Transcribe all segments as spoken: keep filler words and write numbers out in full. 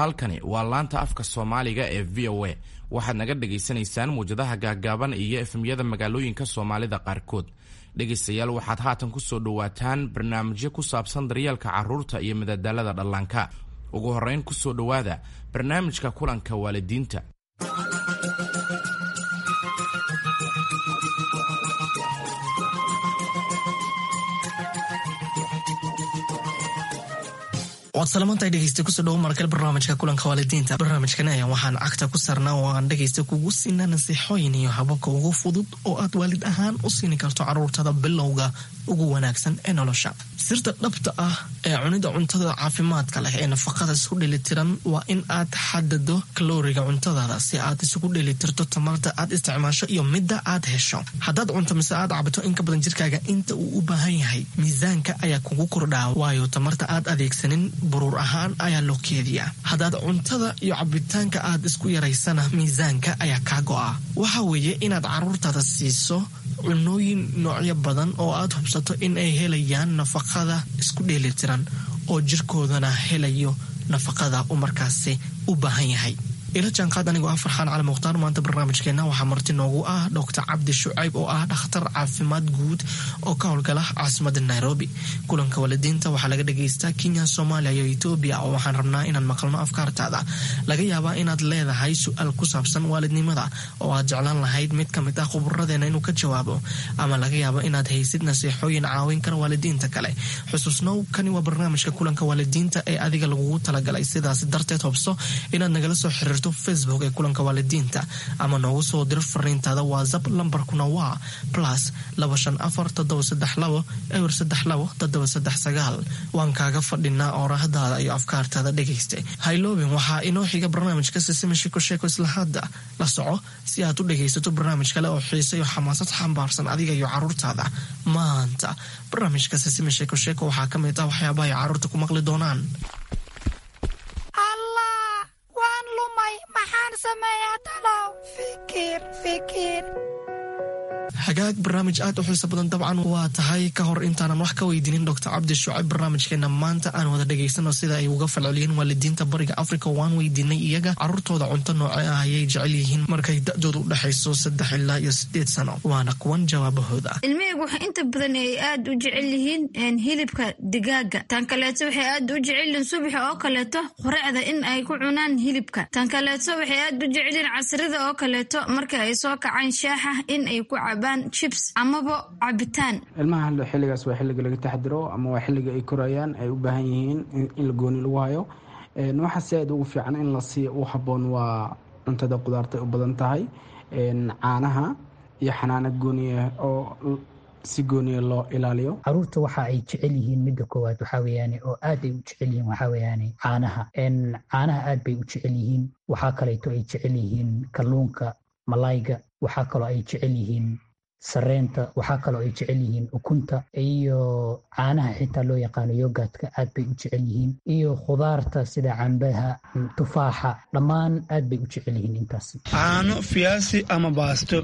Halkani waa laanta afka Soomaaliga ee V O A. Waxaad naga dhagaysanaysaan muwjadaha gaagaaban iyo F M-yada magaalooyinka Soomaalida qaarkood. Dhegaystayaal, waxaad haatan ku soo dhowaataan barnaamijyo ku saabsan daryeelka carruurta iyo madadaalada dhallaanka. Ugu horrayn, ku soo dhowaada barnaamijka kulanka waalidiinta. Waad salamantahay, dhegeysta. Kusoo dhawo markale barnaamijka kulanka waalidiinta. Barnaamijkan ayaa waxaan cagta ku saarnaa oo aan dhegeysta kugu siinaa nasiixooyin iyo hababka ugu fudud oo aad waalid ahaan u siini karto caruurtada bilowga ugu wanaagsan ee nolosha. Sirta dhabta ah ee cunida cuntada caafimaadka leh ee nafaqada isku dheelitiran waa in aad xadado kalooriga cuntadaada, si aad isugu dheelitirto tamarta aad isticmaasho iyo midda aad hesho. Haddaad cunto mise aad cabto in ka badan jirkaaga inta uu u baahan yahay, miisaanka ayaa kugu kordhaa, waayo tamarta aad adeegsanin buruur ahaan ayaa loo keediyaa. Haddaad cuntada iyo cabitaanka aad isku yaraysana, miisaanka ayaa kaa go'a. Waxa weeye inaad caruurtaada siiso cunooyin noocyo badan oo aad hubsato in ay helayaan nafaqada isku dheelitiran oo jirkoodana helayo nafaqada uu markaasi u baahan yahay. Ila jaanqaad anigoo ah Farxaan Cali Mukhtaar. Maanta barnaamijkeena waxaa marti noogu ah Doctor Cabdi Shucayb oo ah dhakhtar caafimaad guud oo ka howlgala caasimada Nairobi. Kulanka waalidiinta waxaa laga dhagaystaa Kenya, Soomaaliya iyo Etoobiya, oo waxaan rabnaa inaan maqalno afkaartaada. Laga yaabaa inaad leedahay su-aal ku saabsan waalidnimada oo aad jeclaan lahayd mid kamid ah khuburadeena inuu ka jawaabo, ama laga yaabo inaad haysid nasiixooyin caawin kara waalidiinta kale. Xusuusnow, kani waa barnaamijka kulanka waalidiinta ee adiga lagugu talagalay. Sidaas darteed, hobso inaad nagala soo xiriirto Facebook ee kulanka waalidiinta ama noogu soo diro fariintaada WhatsApp. Lambarkuna waa plus laba shan afar toddoba saddex labo eber saddex labo toddoba saddex sagaal. Waan kaaga fadhinaa oorahdaada iyo afkaartaada, dhegaysta. Hayloobin, waxaa inoo xiga barnaamijka Sisima Shiko Sheeko. Isla hadda la soco si aad u dhegaysato barnaamij kale oo xiise iyo xamaasad xambaarsan adiga iyo caruurtaada. Maanta barnaamijka Sisima Sheeko Sheeko waxaa ka mid ah waxyaabaha ay caruurta ku maqli doonaan: Allah, waan lumay! Maxaan sameeyaa talow? Fikir, fikir. Hagaag, barnaamij aad u xiiso badan dabcan waa tahay. Ka hor intaanan wax ka weydiinin Doctor Cabdi Shucayb barnaamijkeena maanta, aan wada dhegaysano sida ay uga falceliyeen waalidiinta Bariga Africa. Waan weydiinay iyaga caruurtooda cunto nooce ah ayay jecel yihiin markay da-dooda u dhexayso saddex ilaa iyo sideed sano. Waana kuwan jawaabahooda. Ilmahaygu waxay inta badan ay aad u jecel yihiin hilibka digaaga. Tan kaleeto, waxay aad u jecel yihiin subaxa oo kaleeto quraacda in ay ku cunaan hilibka. Tan kaleeto, waxay aad u jecel yihiin casrida oo kaleeto marka ay soo kacaan shaaxa in ay ku cabaan chips amaba cabitaan. Ilmaha xilligaas waa xilliga laga taxdiro ama waa xilliga ay korayaan, ay u baahan yihiin in la gooni lagu hayo. Waxa si aad ugu fiican in la siiyo u habboon waa cuntada qudaarta ay u badan tahay, caanaha iyo xanaano gooniya oo si gooniya loo ilaaliyo. Caruurta waxa ay jecel yihiin, midda koowaad waxaa weeyaane oo aad ay u jecel yihiin, waxaa weeyaane caanaha. Caanaha aad bay u jecel yihiin. Waxaa kaleeto ay jecel yihiin kalluunka, malayga. Waxaa kaloo ay jecel yihiin sareenta. Waxaa kaloo ay jecel yihiin ukunta iyo caanaha xitaa loo yaqaano yogurtka, aad bay u jecel yihiin, iyo khudaarta sida cambaha, tufaaxa, dhammaan aad bay u jecel yihiin intaas. Caano, fiyaasi ama baasto.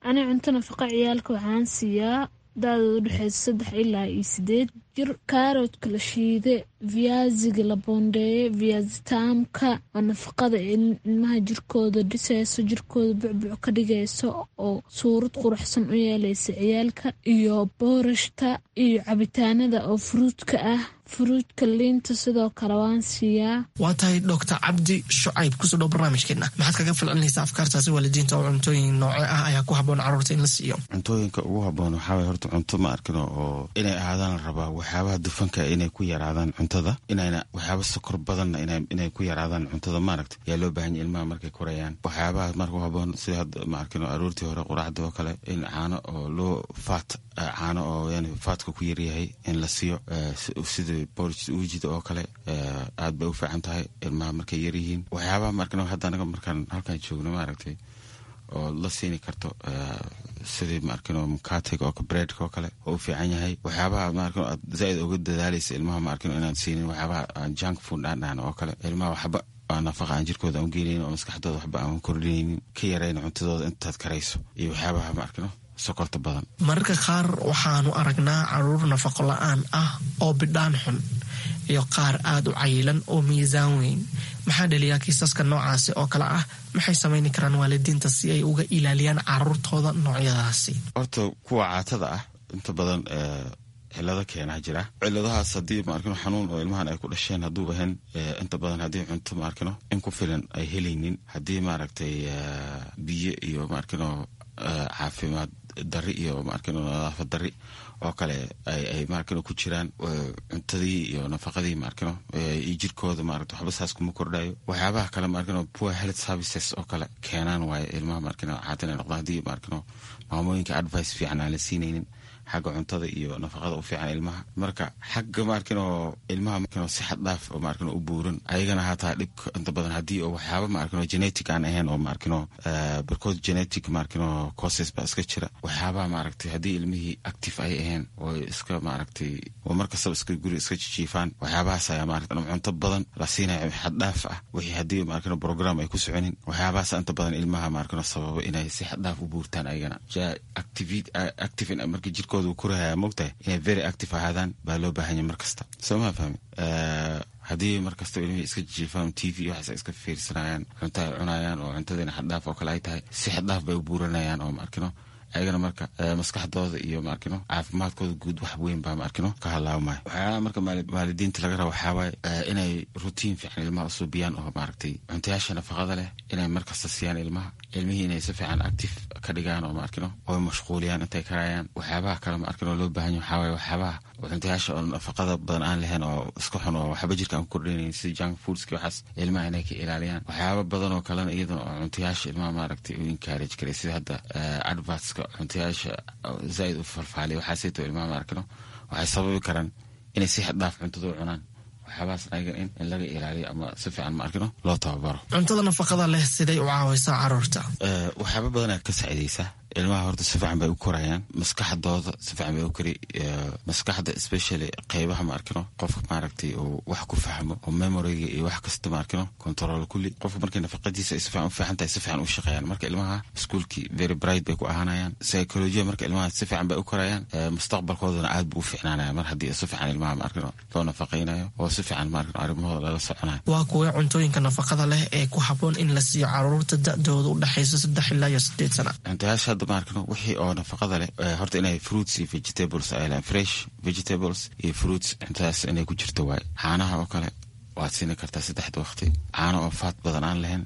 Ani cunto nafaqa ciyaalka waxaan siiyaa da-dooda udhexeysa saddex ilaa iyo sideed jir kaaroodka la shiide, viyaasiga la boondeeye, viyaasitaamka oo nafaqada ilmaha jirkooda dhiseyso, jirkooda bucbuc ka dhigayso oo suurad quruxsan u yeeleysa ciyaalka, iyo boorashta iyo cabitaanada oo fruitka ah, fruitka, liinta sidoo kale waan siiyaa. Waa tahay. Doctor Cabdi Shucayb, kusoo dhow barnaamijkeena. Maxaad kaga falcelinaysaa afkaartaasi waalidiinta oo cuntooyin nooce ah ayaa ku habboon caruurta in la siiyo? Cuntooyinka ugu habboon waxaa waye horta cunto ma arkino oo inay ahaadaan la rabaa waxyaabaha dufanka inay ku yaraadaan cuntada, inayna waxyaaba sokor badanna inay ku yaraadaan cuntada, maaragta, yaa loo baahan yahy ilmaha markay korayaan. Waxyaabaha marka u habboon sida hadda, ma arkino, aroortii hore quraacda oo kale in caano oo loo fat, caano oo yani fatka ku yaryahay in la siiyo, sida porridge uujida oo kale, aad bay u fiican tahay ilmaha markay yaryihiin. Waxyaabaha maarkino hadda anaga markaan halkaan joogno, maaragtay, oo la siini karto sidii, maarkino, mukatiga oo breadka oo kale oo u fiican yahay. Waxyaabaha, maarkino, aad zaaid uga dadaalaysa ilmaha, maarkino, inaad siinin waxyaabaha aan junk food aan dhahan oo kale, ilmaha waxba aan nafaqa aan jirkooda aan u geenaynin oo maskaxdooda waxba aan kordhinaynin, ka yarayna cuntadooda intaad karayso, iyo waxyaabaha, maarkino, sokorta badan. Mararka qaar waxaanu aragnaa caruur nafaqo la-aan ah oo bidhaan xun. iyo qaar aada u cayilan oo miisaan weyn. Maxaa dhaliyaa kiisaska noocaasi oo kale ah? Maxay samayni karaan waalidiinta si ay uga ilaaliyaan caruurtooda noocyadaasi? Horta kuwa caatada ah inta badan cilado keenaa jira. Ciladahaas haddii maarkino xanuun oo ilmahan ay ku dhasheen hadduuba ahayn, inta badan haddii cunto maarkino in ku filan ay helaynin, haddii maaragtay biyo iyo maarkino caafimaad dari iyo maarkino nadaafad dari oo kale ay maarkino ku jiraan, cuntadii iyo nafaqadii maarkino iyo jirkooda maaragta waxba saas kuma kordhayo. Waxyaabaha kale maarkino poor health services oo kale keenaan waaye ilmaha maarkino caata inay noqdaan, haddii maarkino maamooyinka advice fiican aan la siinaynin xagga cuntada iyo nafaqada u fiican ilmaha. Marka xagga maarkino ilmaha maarkino si xad dhaaf oo maarkino u buuran ayagana hataa dhibka inta badan haddii oo waxyaaba maarkino genetic aan ahayn oo maarkino barkood genetic maarkino causes baa iska jira. Waxyaabaha maaragtay haddii ilmihii active ay ahayn oo iska maaragtay oo markastaba iska guri iska jijiifaan, waxyaabahaas ayaa maaragtay cunto badan la siinaya xad dhaaf ah, wixii haddii maarkino program ay ku soconin, waxyaabahaas inta badan ilmaha maarkino sababa inay si xad dhaaf u buurtaan ayagana. Active markii jirkooda korahaya mogtahay inay very active ahaadaan baa loo baahanya mar kasta, soo maa fahmi? Haddii mar kasta ilmihii iska jiifaan, T V waxaas iska fiirsanayaan, cunto ay cunayaan oo cuntadiina xaddhaaf oo kale ay tahay, si xaddhaaf bay u buuranayaan oo maarkino ayagana marka maskaxdooda iyo maarkino caafimaadkooda guud wax weyn baa maarkino ka halaabmaya. Waxyaalaha marka waalidiinta laga raba waxaa waaye inay routine fiican ilmaha usuubiyaan oo maaragtay cuntayaasha nafaqada leh inay markasta siiyaan ilmaha, ilmihii inay si fiican active ka dhigaan oo maarkino oy mashquuliyaan intay karayaan. Waxyaabaha kale maarkino loo baahan yahay waxaa waaye waxyaabaha cuntayaasha oo nafaqada badan aan lahayn oo iska xun oo waxba jirka aan ku kordhinayn sida junk foodski, waxaas ilmaha inay ka ilaaliyaan. Waxyaaba badan oo kalena iyadana oo cuntayaasha ilmaha maaragtay u encourage karay, sida hadda advertska cuntayaasha zaaid u falfaaliya, waxaasayto ilmaha maarkino waxay sababi karaan inay si xad dhaaf cuntada u cunaan. Waxyaabahaas ayagan in in laga ilaaliyo ama si fiican maarkino loo tababaro. Cuntada nafaqada leh siday u caawaysaa caruurta? Waxyaaba badanaa ka saacidaysa ilmaha. Horta si fiican bay u korayaan, maskaxdooda si fiican bay u kori, maskaxda especially qeybaha maarkino qofka maaragtay uu wax ku fahmo oo memoryga iyo wax kasta maarkino control kulli. Qofka markay nafaqadiisa ay si fiican u fiican tahay, si fiican u shaqeeyaan. Marka ilmaha iskuulkii very bright bay ku ahaanayaan, psychology marka ilmaha si fiican bay u korayaan, mustaqbalkoodana aad buu u fiicnaanaya mar haddii si fiican ilmaha maarkino loo nafaqaynayo oo si fiican maarkino arrimahooda lala soconayo. Waa kuwee cuntooyinka nafaqada leh ee ku habboon in la siiyo caruurta da-dooda u dhexaysa saddex ilaa iyo sideed sana? Cuntayaasha hadda maarkino wixii oo nafaqada leh horta inay fruits iyo vegetables ay lehan, fresh vegetables iyo fruits, cuntadaas inay ku jirto waaye. Caanaha oo kale waad siini kartaa saddexda waqti, caano oo faat badan aan lahayn.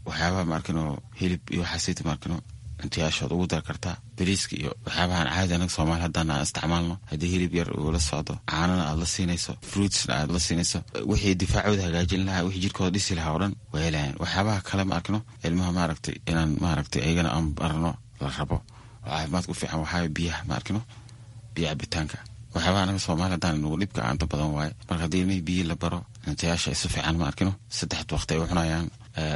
Waxyaabaha maarkino hilib iyo waxaasayta maarkino cuntayaashood ugu dar kartaa, bariiska iyo waxyaabahan caadi anaga Soomaali haddana aan isticmaalno. Haddii hilib yar uu la socdo, caanana aad la siinayso, fruitsna aad la siinayso, wixii difaacooda hagaajin lahaa, wixii jirkooda dhisi lahaa oo dhan waa helayaan. Waxyaabaha kale ma arkino ilmaha maaragtay inaan maaragtay ayagana aan barno la rabo oo caafimaadka u fiican waxaa biyaha ma arkino, biyo cabitaanka. Waxyaabaha anaga Soomaali haddaan nagu dhibka aanta badan waaye. Marka haddii ilmihii biyi la baro, cuntayaasha ay si fiican ma arkino saddexda waqti ay u cunayaan,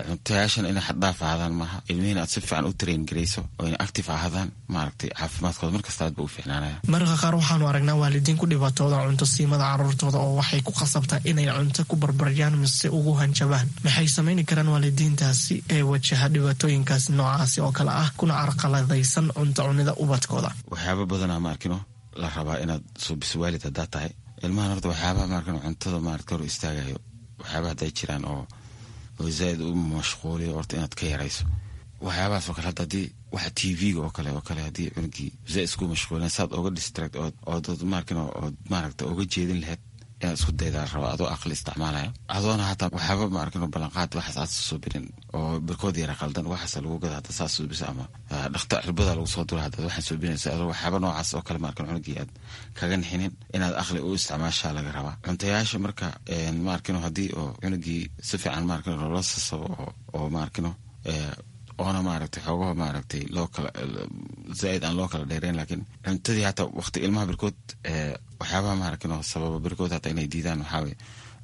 cuntayaashana inay xaddhaaf ahaadaan maaha, ilmihiina aad si fiican u train garayso oo inay active ahaadaan, maaragtay caafimaadkooda markasta aad ba u fiicnaanaya. Mararka qaar waxaanu aragnaa waalidiin ku dhibaatooda cunto siimada caruurtooda oo waxay ku khasabtaa inay cunto ku barbaryaan mise ugu hanjabaan. Maxay samayni karaan waalidiintaasi ee wajaha dhibaatooyinkaasi noocaasi oo kale ah kuna carqaladaysan cunto cunida ubadkooda? Waxyaaba badanaa ma arkino la rabaa inaad suubiso waalid haddaa tahay ilmahan. Horta waxyaabaha maarkino cuntada maaragta hor istaagayo, waxyaabaha hadday jiraan oo oo zaaid u mashquuliyo, horta inaad ka yarayso waxyaabahaas oo kale. Hadda haddii waxa T V-ga oo kale oo kale haddii cunugii zaaid isku mashquulin, saad oga distract ood ood maarkino ood maaragta oga jeedin lahayd inaad isku daydaa rabo, adoo aqli isticmaalaya, adoona hataa waxyaaba maarkino ballanqaad waxaas aad suubinin oo barkood yara qaldan waxaas lagu gada hadda saas suubisa ama dhakta cirbada lagu soo dura haddaad waxaan suubinaysa, adoo waxyaaba noocaas oo kale maarkino cunugii aad kaga nixinin, inaad aqli u isticmaashaa laga rabaa cuntayaasha. Marka maarkino haddii oo cunugii si fiican maarkino loola sasabo oo oo maarkino oona maaragtay xoogaha maaragtay loo kala zaaid aan loo kala dheereyn, laakiin cuntadii hataa waqti ilmaha barkood waxyaabaha maaragtay sababa barkood hataa inay diidaan waxaa waye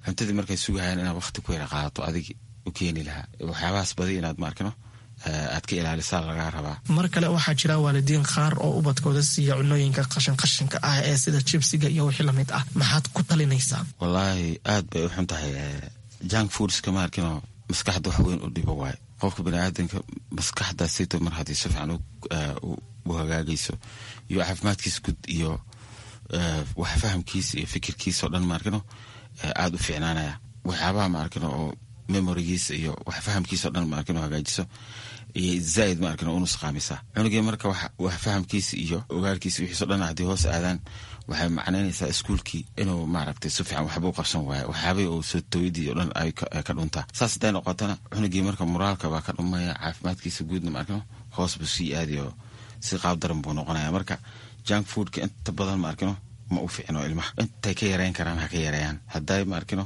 cuntadii markay sugahayaan inaad waqti ku yara qaadato adigi u keeni lahaa, waxyaabahaas badi inaad maarkino aad ka ilaalisaa lagaa rabaa. Mar kale waxaa jira waalidiin qaar oo ubadkooda siiya cunooyinka qashin qashinka ah ee sida jibsiga iyo wixii lamid ah. Maxaad ku talinaysaa? Wallaahi aad bay u xun tahay junk foodska, maarkino maskaxda wax weyn u dhibo waaye. Qofka baniaadanka maskaxdaasito mar haddii si fiican u hagaagayso iyo caafimaadkiisa guud iyo wax fahamkiisa iyo fikirkiisa oo dhan maarkino aada u fiicnaanaya. Waxyaabaha ma arkin oo memorigiisa iyo wax fahamkiisa o dhan ma arkin oo hagaajiso iyo zaaid ma arkin oo unusqaamisa cunugii. Marka wax fahamkiisa iyo ogaalkiisa wixiiso dhan haddii hoos aadaan, waxay macnaynaysaa iskuulkii inuu maaragtay si fiican waxba u qabsan waayo, waxyaabay oo soo tooyadii o dhan ay ka dhuntaa. Saas hadday noqotana, cunugii marka moraalka baa ka dhumaya, caafimaadkiisa guudna ma arkino hoos buu sii aadayo, si qaab daran buu noqonaya. Marka junk foodka inta badan ma arkino ma u fiicno ilmaha. Intay ka yareyn karaan ha ka yareeyaan. Hadday ma arkino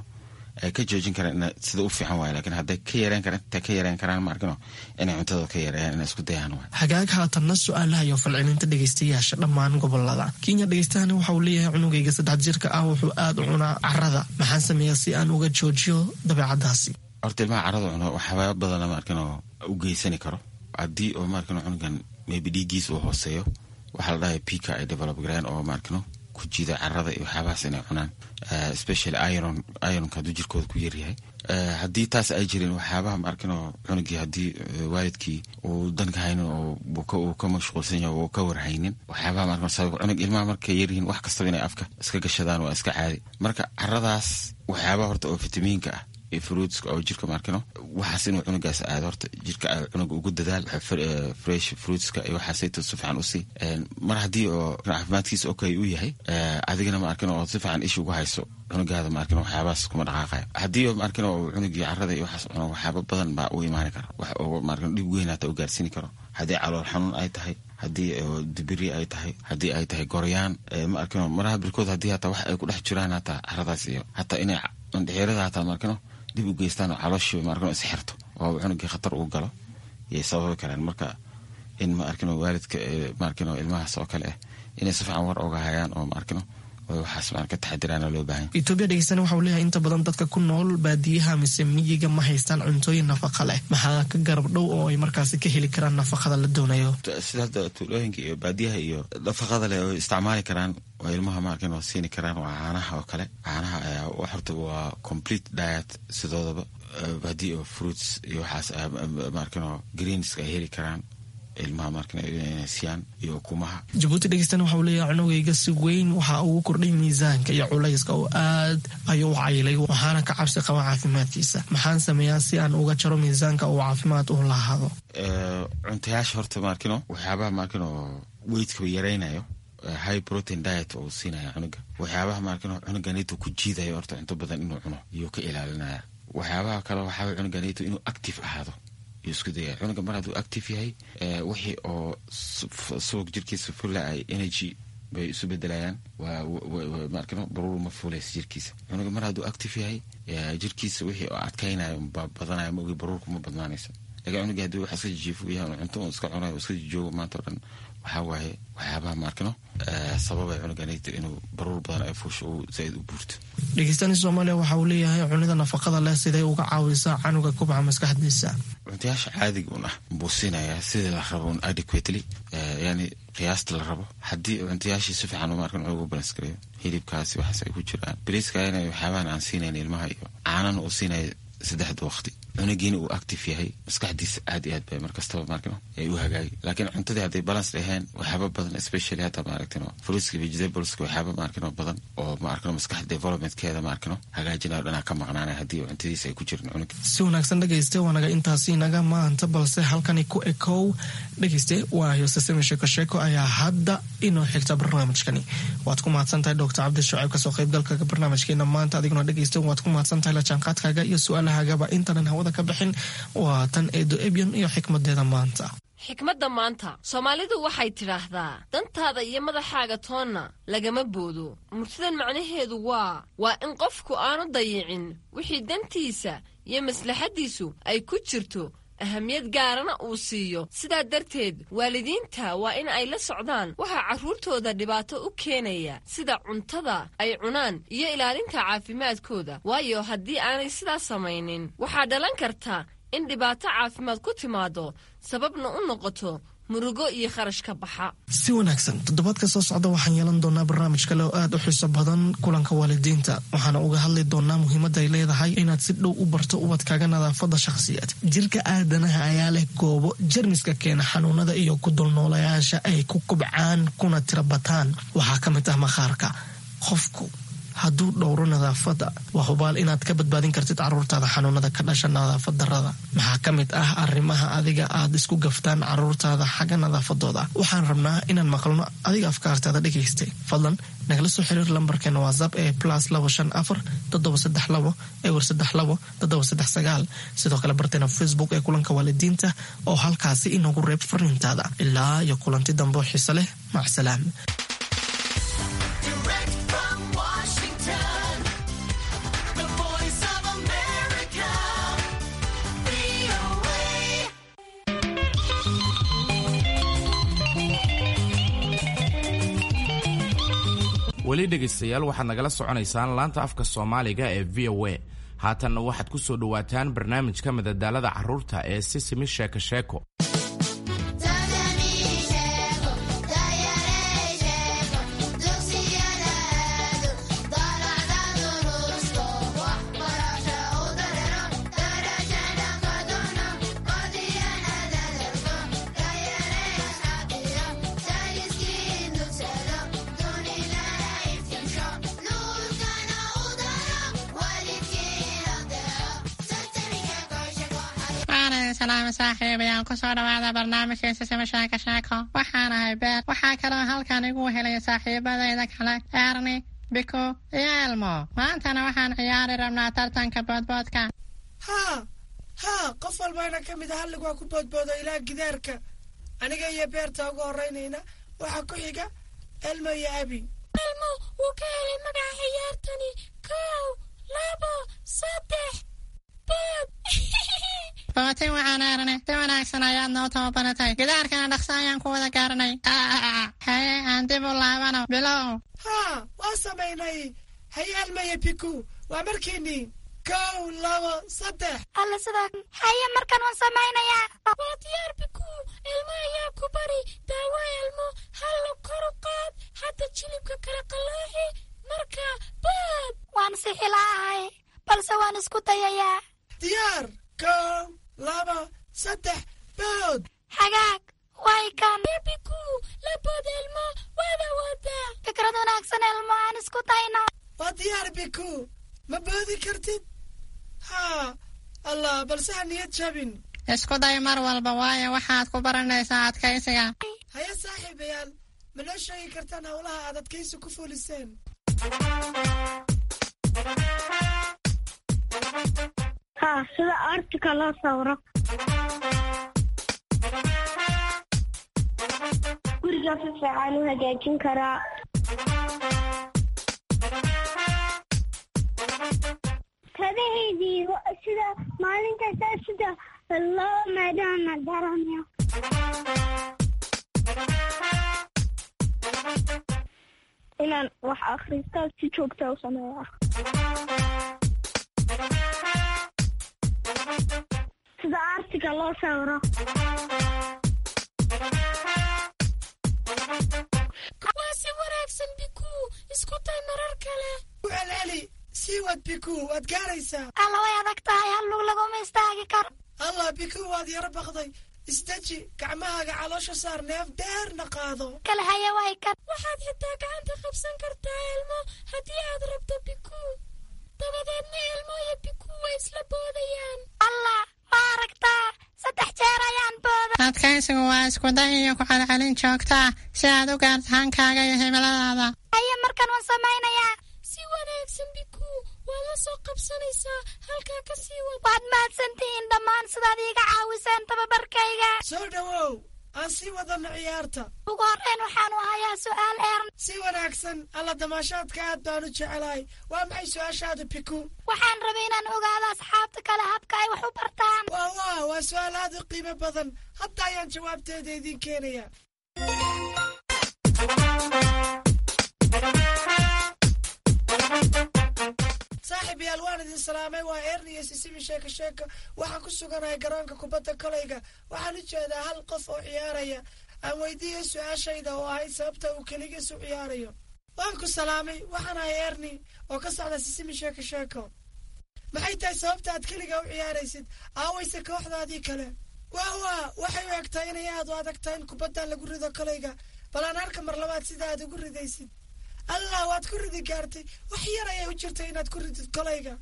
ay ka joojin karaan sida u fiican waay, lakin hadday ka yareyn karaan, intay ka yareyn karaan ma arkino inay cuntadooda ka yareeyaan, inay isku dayaan waay. Hagaag, haatanna su-aalaha iyo falcelinta dhegeystayaasha dhammaan gobolada Kenya. Dhegeystahani waxa uu leeyahay: cunugayga saddex jirka ah wuxuu aada u cunaa carada, maxaan sameeyaa si aan uga joojiyo dabeecadaasi? Horta ilmaha carada cuno waxyaaba badana ma arkino u geysani karo. Haddii oo ma arkino cunugan maybe dhiiggiis uu hooseeyo, waxaa la dhahay pica ay develop gareen oo ma arkino ku jiida carada iyo waxyaabahaas inay cunaan, especially iron. Ironka hadduu jirkooda ku yaryahay, haddii taas ay jirin, waxyaabaha ma arkino cunugii haddii waalidkii uu danka haynin oo uu ka mashquulsan yahay oo ka warhaynin, waxyaabaha ma arkino sabab cunug ilmaha markay yaryihiin wax kastaba inay afka iska gashadaan waa iska caadi. Marka caradaas waxyaabaha horta oo fitamiinka ah iyo fruitska oo jirka ma arkino waxaas inuu cunugaas aado, horta jirka cunuga ugu dadaal fresh fruitska iyo waxaasayto si fiican usii. Mar haddii oo caafimaadkiisa okay u yahay, adigana ma arkino oo si fiican isha ugu hayso cunugaada, ma arkino waxyaabahaas kuma dhaqaaqayo. Haddii ma arkino cunugii carada iyo waxaas cuno, waxyaaba badan baa u imaani kara, wax oo ma arkino dhib weyn hata u gaarsiini karo. Haddii calool xanuun ay tahay, haddii dibiri ay tahay, haddii ay tahay goryaan, ma arkino maraha birkood haddii hataa wax ay ku dhex jiraan hataa caradaas iyo hataa inay indhexeerada hataa ma arkino dib u geystaan oo calooshii ma arkino is xirto oo cunugii khatar uu galo yay sababi karaan. Marka in ma arkino waalidka ma arkino ilmahaas oo kale ah inay si fiican war oga hayaan oo ma arkino waxaas ma ka taxadiraana loo baahan. Etoobiya dhegeystana waxa uu leeyahay: inta badan dadka ku nool baadiyaha mise miyiga ma haystaan cuntooyin nafaqa leh, maxaa ka garab dhow oo ay markaasi ka heli karaan nafaqada la doonayo? Sida hadda tuulooyinka iyo baadiyaha iyo nafaqada leh oo isticmaali karaan oo ilmaha ma arkin oo siini karaan waa caanaha oo kale. Caanaha ayaa horta waa complete diet sidoodaba. Haddii oo fruits iyo waxaas ma arkin oo greenska ay heli karaan ilmaha markan inay siiyaan iyo ukumaha. Jabuuti dhegeystana waxa uu leeyahay: cunugayga si weyn waxa ugu kordhay miisaanka iyo culayska oo aad ayuu u cayilay, waxaana ka cabsi qaba caafimaadkiisa. Maxaan sameeyaa si aan uga jaro miisaanka uu caafimaad u lahaado? Cuntayaasha horta maarkino waxyaabaha maarkino weightka yaraynayo, high protein diet oo siinaya cunuga. Waxyaabaha maarkino cunuganito ku jiidayo horta cunto badan inuu cuno iyuu ka ilaalinaya. Waxyaabaha kale waxaa cunuganito inuu active ahaado iyo isku daya. Cunuga mar hadduu active yahay, wixii oo subag jirkiisa fula ay energy bay isu bedelayaan, maarkino baruur ma fuulaysa jirkiisa. Cunuga mar hadduu active yahay, jirkiisa wixii oo adkaynayo baa badanaya, ma ogi baruurku ma badnaanayso. Lakin cunuga haddii wax iska jijiifo yahay, cunto un iska cunayo, iska jijoogo maanta o dhan, waxaa waaye waxyaabaha maarkino sababay cunuganito inuu baruur badan ay fuusho uu zaaid u buurto. Dhegeystani Soomaaliya waxa uu leeyahay: cunida nafaqada leh siday uga caawisaa canuga kubca maskaxdiisa? Cuntayaasha caadiga un ah buu siinayaa sidii la rabo un adequately, yani qiyaasta la rabo. Haddii cuntayaashii si fiican uma arkin cunuga u balance gareeyo, hilibkaasi waxaas ay ku jiraan, bariiskaana waxyaabahan aan siinayn ilmaha iyo caanana uu siinaya saddexda waqti, cunugiina uu active yahay, maskaxdiisa aad iyo aad bay markastaba maarkino ay u hagaagi. Laakiin cuntadii hadday balance dhaheen, waxyaaba badan, especially hata maaragtino fruitska, vegetables, waxyaaba maarkino badan oo maarkino maskaxda developmentkeeda maarkino hagaajinayo dhanaa ka maqnaanaya haddii cuntadiisa ay ku jirin cunuga. Si wanaagsan dhegeyste, waanaga intaasi naga maanta, balse halkani ku ekow dhegeyste, waayo sasami sheeko sheeko ayaa hadda inoo xigta barnaamijkani. Waad ku mahadsan tahay Doctor Cabdi Shucayb kasoo qaybgalka barnaamijkeena maanta. Adiguna dhegeyste waad ku mahadsan tahay la jaanqaadkaaga iyo su-aalahagaba. Intanan hawada ka bixin, waa tan Eedo Ebyan iyo xikmadeeda maanta. Xikmadda maanta, Soomaalidu waxay tidhaahdaa: dantaada iyo madaxaaga toonna lagama boodo. Murtidan macnaheedu waa waa in qofku aanu dayicin wixii dantiisa iyo maslaxaddiisu ay ku jirto, ahamiyad gaarana uu siiyo. Sidaa darteed waalidiinta waa in ay la socdaan waxaa carruurtooda dhibaato u keenaya, sida cuntada ay cunaan iyo ilaalinta caafimaadkooda, waayo haddii aanay sidaas samaynin waxaa dhalan karta in dhibaato caafimaad ku timaado, sababna u noqoto murugo iyo kharash ka baxa. Si wanaagsan, toddobaadka soo socda waxaan yeelan doonaa barnaamij kale oo aad u xiiso badan, kulanka waalidiinta. Waxaana uga hadli doonaa muhiimadda ay leedahay inaad si dhow u barto ubadkaaga nadaafadda shakhsiyaed. Jirka aadanaha ayaa leh goobo jermiska keena xanuunada iyo ku dulnoolayaasha ay ku kubcaan kuna tira bataan. Waxaa ka mid ah maqaarka qofku. hadduu dhowro nadaafadda, waa hubaal inaad ka badbaadin kartid caruurtaada xanuunada ka dhasha nadaafad darrada. Maxaa ka mid ah arrimaha adiga aad isku gaftaan caruurtaada xagga nadaafadooda? Waxaan rabnaa inaan maqalno adiga afkaartaada dhegaystay. Fadlan nagala soo xiriir lambarkeena WhatsApp ee plus labo shan afar toddoba saddex labo ewer saddex labo toddoba saddex sagaal. Sidoo kale barteena Facebook ee Kulanka Waalidiinta oo halkaasi inoogu reeb fariintaada. Ilaa iyo kulanti dambe oo xiise leh, macsalaam. Direct from Washington, the voice of America, V O A. Weli dhegaystayaal, waxaad nagala soconaysaan laanta afka Soomaaliga ee V O A. Haatanna waxaad ku soo dhowaataan barnaamijka madadaalada carruurta ee Sisimi Sheeko Sheeko. Waana salaamo saaxiibayaal, kusoo dhawaada barnaamijka Sisima Sheeko Sheeko. Waxaan ahay Beer. Waxaa kaloo halkan igu helaya saaxiibadayda kale Erni, Biko iyo Elmo. Maantana waxaan ciyaari rabnaa tartanka boodboodka. Haa haa, qof walbaana ka mid a hallig waa ku boodboodo ilaa gidaarka. Aniga iyo Beerta ugu horraynayna, waxaa ku xiga Elmo iyo Abi. Elmo wuu ka helay magaca ciyaartani. Kow, labo, saddex, bood! Bootin waxaan Erne, si wanaagsan ayaad noo tababaratay. Gidaarkana dhaqso ayaan ku wada gaaranay. Haye, aan dib u laabano. Bilow. Haa, waa samaynay. Haye Elmo iyo Biku, waa markiinii. Kow, labo, saddex! Alla, sidaa. Haye, markan waan samaynayaa. Waa diyaar, Biku. Elmo ayaa ku bari. Daawo Elmo, hallo kor u qaad. Hadda jilibka kala qalooxi. Marka bood! Waan sixilaahay, balse waan isku dayayaa. Diyaar. Kow, laba, saddex, bood! Hagaag, way kan. Biku, la bood Elmo, waad awoodaa. Fikrad wanaagsan Elmo, aan isku dayno. Waa diyaar Biku, ma boodi kartid? Haa, Allah, balse ha niyad jabin. Isku day mar walba, waayo waxaad ku baranaysaa adkaysiga. Haye saaxiibayaal, ma noo sheegi kartaan howlaha aad adkaysi ku fuliseen? Haa, sida artika loo sawiro. Guriga si fiican u hagaajin karaa. Kabahaydii sida maalin kasta sida loo maydhana garanayo. Inaan wax akhristo si joogta u sameeya. Sida artiga loo sawiro. Waa si wanaagsan Biku, isku day marar kale. Ku celceli, sii wad Biku, waad gaaraysaa. Alla, way adag tahay, hal lug laguma istaagi karo. Allah, Biku, waad yaro baqday. Isdeji, gacmahaaga caloosha saar, neef dheerna qaado. Kale haye, way kan. Waxaad xitaa gacanta qabsan kartaa Elmo haddii aad rabto, Biku. Dabadeedna Elmo iyo Biku way isla boodayaan. Allah, ma aragtaa? Saddex jeer ayaan booda. Adkaysigu waa isku day iyo ku celcelin joogta ah si aad u gaarto hankaaga iyo himiladaada. Haye, markan waan samaynayaa. Si wanaagsan Biku, waad la soo qabsanaysaa. Halkaa ka sii wad. Waad mahadsantihiin dhammaan sidaad iiga caawiseen tababarkayga. Soo dhowow, aan sii wadano ciyaarta. Ugu horreyn waxaanu hayaa su'aal Ern. Si wanaagsan. Alla, damaashaadka aad baan u jecelahay. Waa maxay su-aashaada, Biku? Waxaan rabay inaan ogaado asxaabta kale habka ay wax u bartaan. Waa waa waa su-aal aad u qiimo badan. Hadda ayaan jawaabteeda idiin keenaya. Saaxiib yaal, waan idin salaamay. Waa Erni iyo Sisimi Sheeko Sheeko. Waxaan ku suganahay garoonka kubadda kolayga. Waxaan u jeedaa hal qof oo ciyaaraya. Aan weydiiyey su-aashayda oo ahayd sababta uu keligiis u ciyaarayo. Waan ku salaamay. Waxaan ahay Erni oo ka socda Sisimi Sheeko Sheeko. Maxay tahay sababta aad keliga u ciyaaraysid? Aawayse kooxdaadii kale? Waa waa waxay u egtahay inay aad u adag tahay in kubaddan lagu rido kolayga. Bal aan arka mar labaad sida aad ugu ridaysid. Allah, waad ku ridi gaartay. Wax yar ayay u jirtay inaad ku ridid kolayga.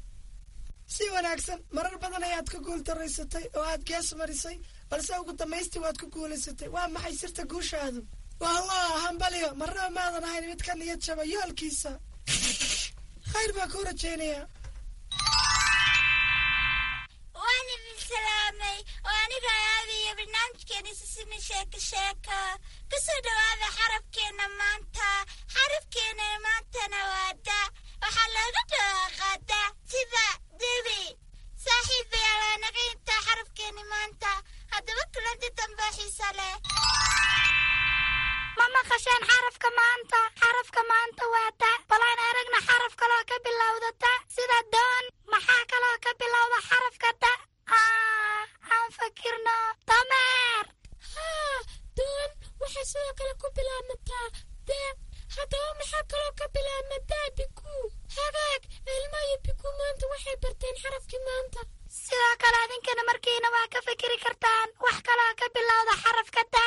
Si wanaagsan, marar badan ayaad ku guultaraysatay oo aad gees marisay, balse ugu dambaystii waad ku guulaysatay. Waa maxay sirta guushaadu? Wah wah, hambalyo! Marnaba maadan ahayn mid ka niyad jaba yoolkiisa. Khayr baa kuu rajaynayaa. Waan idin salaamay oo aniga aadaya barnaamijkeena Sisimi Sheeko Sheeko. Kusoo dhawaada xarafkeena maanta. Xarafkeena maantana waa da. Waxaa looga dhawaaqaa da sida dibi. Saaxiibayaal, waa naga intaa xarafkeena maanta. Haddaba kulanti dambe xiisa leh. Ma maqasheen xarafka maanta? Xarafka maanta waa da. Bal aan aragna xaraf kaloo ka bilowda da sida doon. Maxaa kaloo ka bilowda xarafka da? Aan fakirno. Dameer. Haa, doon waxay sidoo kale ku bilaabmataa da. Haddaba maxaa kaloo ka bilaabma da, Biku? Hagaag, Ilmo iyo Biku maanta waxay barteen xarafkii maanta. Sidoo kale adinkana markiina waa ka fikiri kartaan wax kaloo ka bilowda xarafka da.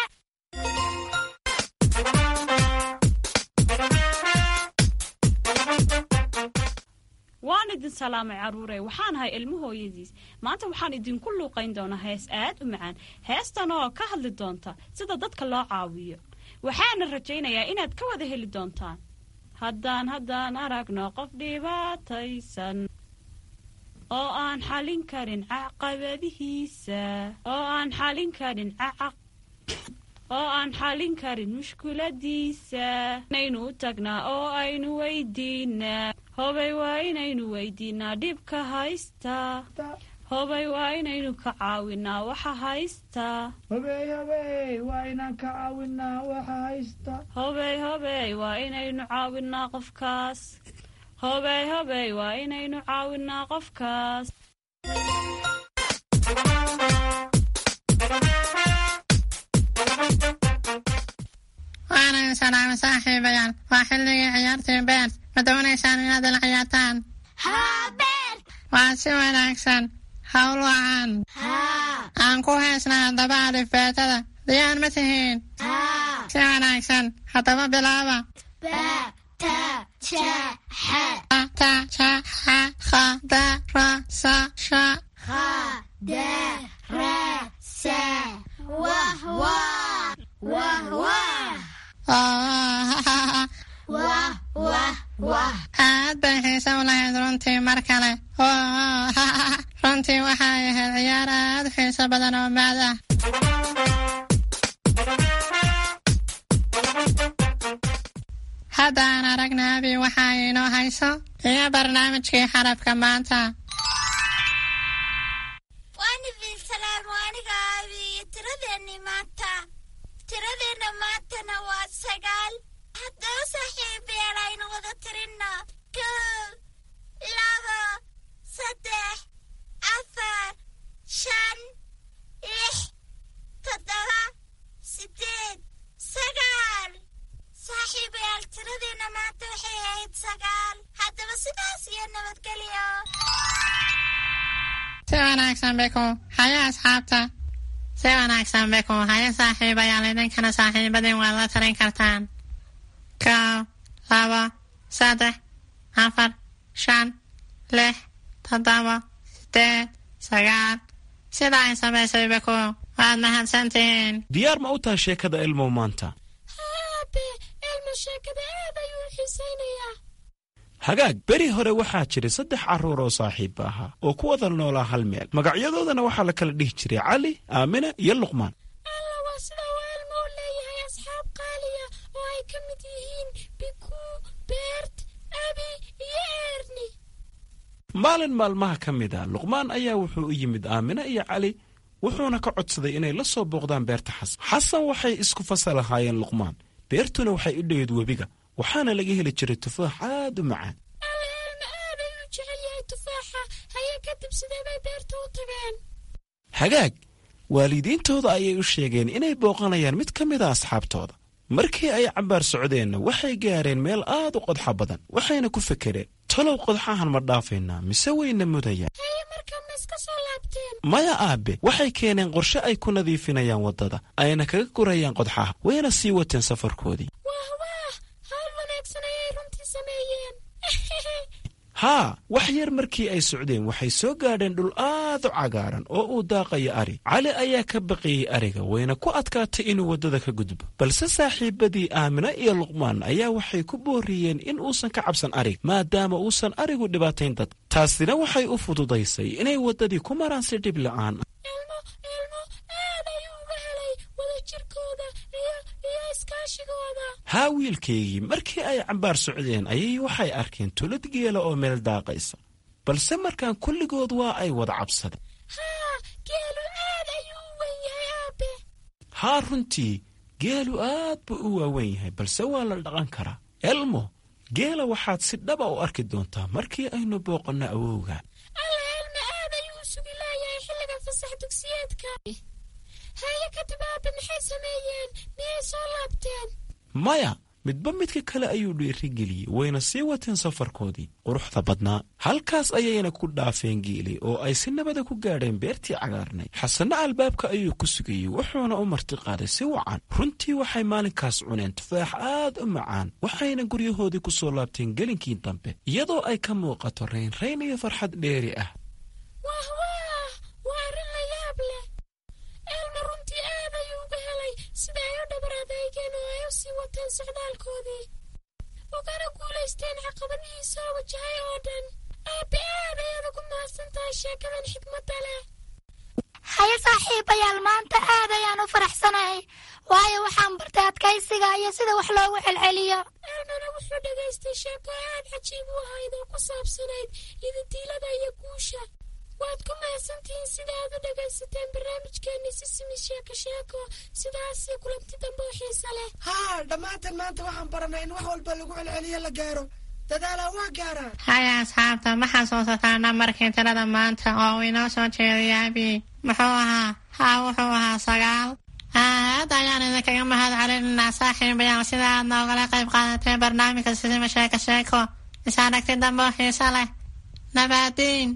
Waan idin salaamay, carruurey. Waxaan ahay Ilmo hooyadiis. Maanta waxaan idinku luuqayn doonaa hees aad u macaan, heestan oo ka hadli doonta sida dadka loo caawiyo. Waxaana rajaynayaa inaad ka wada heli doontaan. Haddaan haddaan aragno qof dhibaataysan oo aan xalin karin caqabadihiisa, oo aan xalin karin cacaq oo aan xalin karin mushkuladiisa, inaynu u tagnaa oo aynu weydiinaa. Hobay, waa inaynu weydiinaa dhibka haysta. Hobay, waa inaynu ka caawinaa waxa haysta. Hobey, hobey, waa inaan ka caawinaa waxa haysta. Hobey, hobey, waa inaynu caawinaa qofkaas. Hobey, hobey, waa inaynu caawinaa qofkaas. Waana salaamay, saaxiibayaal. Waa xilligii ciyaartii Beert. Ma doonaysaan inaad ila ciyaartaan? Haa, Beert. Waa si wanaagsan. Hawl wacan. Aan ku heesnaa haddaba alifbeetada. Diyaar ma tihiin? Si wanaagsan, haddaba bilaaba. Ba, ta, ja, xa. A, ta, ja, xa, kha, da, ra, sa, sha. Kha, da, ra, sa. Wah, wah. Wah, wah. Wah, wah, wah. Aad bay xiise u lahayd runtii. Mar kale. Runtii waxay ahayd ciyaar aad u xiiso badan oo maad ah. Hadda aan aragna Abi waxa ay inoo hayso iyo barnaamijkii xarafka maanta. Waan idin salaam, aniga Abi iyo tiradeenni maanta. Tiradeenna maantana waa sagaal. Haddaba saaxiibayaal, aynu wada tirinno: kow, labo, saddex, afar, shan, lix, toddoba, sideed, sagaal. Saaxiibayaal, tiradeenna maanta waxay ahayd sagaal. Haddaba sidaas iyo nabadgelyo. Si wanaagsan, Beko. Haya, asxaabta. Si wanaagsan, Beko. Haya, saaxiibayaal, idinkana saaxiibadin waad la tarin kartaan: kow, labo, saddex, afar, shan, lix, toddoba, sideed, sagaal, sida ay samaysay Beko. Waad mahadsantihiin. Diyaar ma u tahay sheekada Ilmow maanta? Aabe, Ilmo sheekada aad ayuu u xiisaynayaa. Hagaag, beri hore waxaa jiray saddex carruur oo saaxiibba ahaa oo ku wada noolaa hal meel. Magacyadoodana waxaa la kala dhihi jiray Cali, Aamina iyo Luqmaan. Alla, waa sida uu Ilmo u leeyahay asxaab qaaliya oo ay ka mid yihiin Biku, Beert, Abi iyo Erni. Maalin maalmaha ka mid a, Luqmaan ayaa wuxuu u yimid Aamina iyo Cali, wuxuuna ka codsaday inay la soo booqdaan beerta Xasan. Xasan waxay isku fasal ahaayeen Luqmaan. Beertuna waxay u dhoweyd webiga, waxaana laga heli jiray tufaax aad u macaan. Alla, Ilmo aad ayuu jecel yahay tufaaxa. Haye, kadib sidee bay beerta u tageen? Hagaag, waalidiintooda ayay u sheegeen inay booqanayaan mid ka mid a asxaabtooda. Markii ay cabbaar socdeenna, waxay gaareen meel aad u qodxa badan, waxayna ku fekereen: talow qodxahan ma dhaafaynaa mise wayna mudayaan? Haye, markaa ma iska soo laabteen? Maya, aabe. Waxay keeneen qorshe ay ku nadiifinayaan waddada ayna kaga gurayaan qodxaha, wayna sii wateen safarkoodii. Wah wah, hawl wanaagsan ayay runtii. sameeyeen? Haa, wax yar markii ay socdeen waxay soo gaadheen dhul aad u cagaaran oo uu daaqayo ari. Cali ayaa ka baqiyey ariga, wayna ku adkaatay inuu waddada ka gudbo, balse saaxiibadii Aamina iyo Luqmaan ayaa waxay ku booriyeen in uusan ka cabsan arig, maadaama uusan arigu dhibaatayn dad. Taasina waxay u fududaysay inay waddadii ku maraan si dhib la'aan ah. Elmo, Elmo aad ayuu uga helay wadajirkooda iyo iyo iskaashigooda. Haa wiilkaygii, markii ay cambaar socdeen ayay waxay arkeen tulad geela oo meel daaqaysa, balse markaan kulligood waa ay wada cabsadeen. Haa, geelu aad ayuu u weyn yahay, aabe. Haa, runtii geelu aad buu u waaweyn yahay, balse waa la dhaqan karaa. Elmo, geela waxaad si dhaba u arki doontaa markii aynu booqanno awowga. Alla, Elmo aad ayuu u sugi laayahay xilliga fasax dugsiyeedka. Haye, kadib aabe maxay sameeyeen? Miyay soo laabteen? Maya, midba midka kale ayuu dhiirigeliyey, wayna sii wateen safarkoodii quruxda badnaa. Halkaas ayayna ku dhaafeen geeli oo ay si nabada ku gaadheen beertii cagaarnay. Xasanna albaabka ayuu ku sugayey, wuxuuna u martiqaaday si wacan. Runtii waxay maalinkaas cuneen tufaax aad u macaan, waxayna guryahoodii ku soo laabteen gelinkii dambe iyadoo ay ka muuqato raynrayn iyo farxad dheeri ah. Wah wah, waa arrin la yaab leh. Elmo runtii aad ayuu uga helay sida ay u dhabar adeegeen oo ay u sii wateen socdaalkoodii, ugana guulaysteen caqabadihii soo wajahay oo dhan. Aabe, aad ayaad ugu mahadsan tahay sheekadan xikmadda leh. Haye saaxiibayaal, maanta aad ayaan u faraxsanahay, waayo waxaan bartay adkaysiga iyo sida wax loogu celceliyo. Elmona wuxuu dhegaystay sheeko aad cajiib u ahayd oo ku saabsanayd yididiilada iyo guusha. Waad ku mahadsantihiin sida aad u dhegaysateen barnaamijkeenni Sisimi Sheeko Sheeko. Sidaasii kulanti dambe oo xiisa leh. Haa, dhammaantan maanta waxaan baranay in wax walba lagu celceliyo la gaaro. Dadaalaa waa gaaraa. Haya asxaabta, ma xasuusataa nambarkii tirada maanta oo uu inoo soo jeediyay abi? Muxuu ahaa? Haa, wuxuu ahaa sagaal. Aad ayaan idinkaga mahad celinaynaa saaxiibayaal sida aad noogala qayb qaadateen barnaamijka Sisima Sheeko Sheeko. Is aragti dambe oo xiisa leh. Nabaadiin.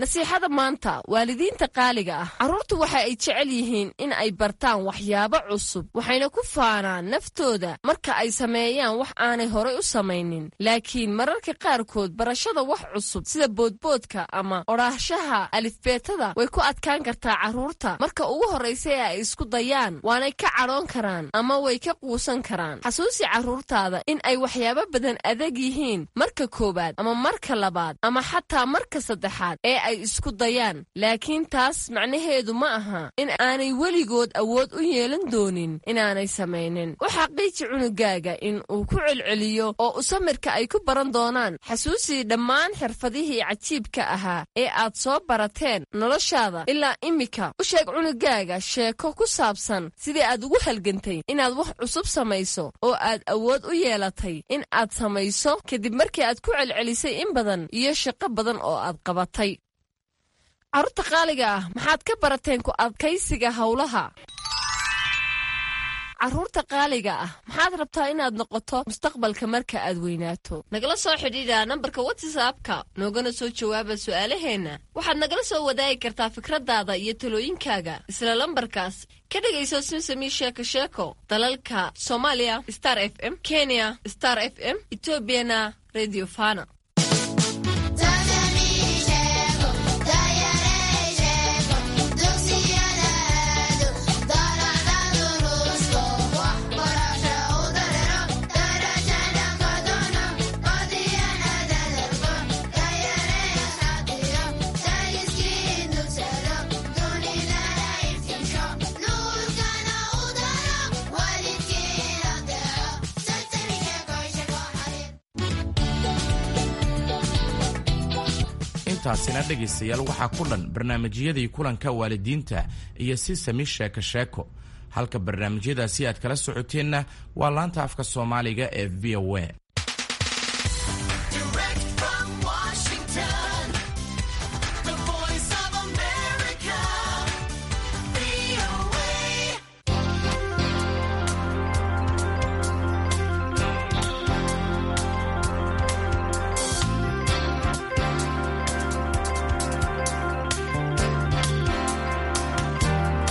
Nasiixada maanta, waalidiinta qaaliga ah, carruurtu waxa ay jecel yihiin in ay bartaan waxyaabo cusub, waxayna ku faanaan naftooda marka ay sameeyaan wax aanay horay u samaynin. Laakiin mararka qaarkood barashada wax cusub sida boodboodka ama odhaahshaha alifbeetada way ku adkaan kartaa carruurta marka ugu horraysa ee ay isku dayaan, waanay ka cadhoon karaan ama way ka quusan karaan. Xasuusi carruurtaada in ay waxyaabo badan adag yihiin marka koowaad ama marka labaad ama xataa marka saddexaad ee ay isku dayaan, laakiin taas macnaheedu ma aha in aanay weligood awood u yeelan doonin inaanay samaynin. U xaqiiji cunugaaga in uu ku celceliyo oo u samirka ay ku baran doonaan. Xasuusii dhammaan xirfadihii cajiibka ahaa ee aad soo barateen noloshaada ilaa immika. U sheeg cunugaaga sheeko ku saabsan sidii aad ugu halgantay inaad wax cusub samayso oo aad awood u yeelatay in aad samayso kadib markii aad ku celcelisay in badan iyo shaqo badan oo aad qabatay. Carruurta qaaliga ah, maxaad ka barateen ku adkaysiga howlaha? Carruurta qaaliga ah, maxaad rabtaa inaad noqoto mustaqbalka marka aad weynaato? Nagala soo xidhiidha nambarka WhatsAppka, noogana soo jawaaba su'aalaheenna. Waxaad nagala soo wadaagi kartaa fikradaada iyo talooyinkaaga isla lambarkaas. Ka dhegayso Simsami Sheeko Sheeko dalalka Soomaaliya Star F M, Kenya Star F M, Etoobiyana Radio Fana. Intaasina dhegaystayaal waxaa ku dhan barnaamijyadii kulanka waalidiinta iyo Sisami Sheeko Sheeko. Halka barnaamijyadaasi aad kala socoteenna waa laanta afka Soomaaliga ee V O A.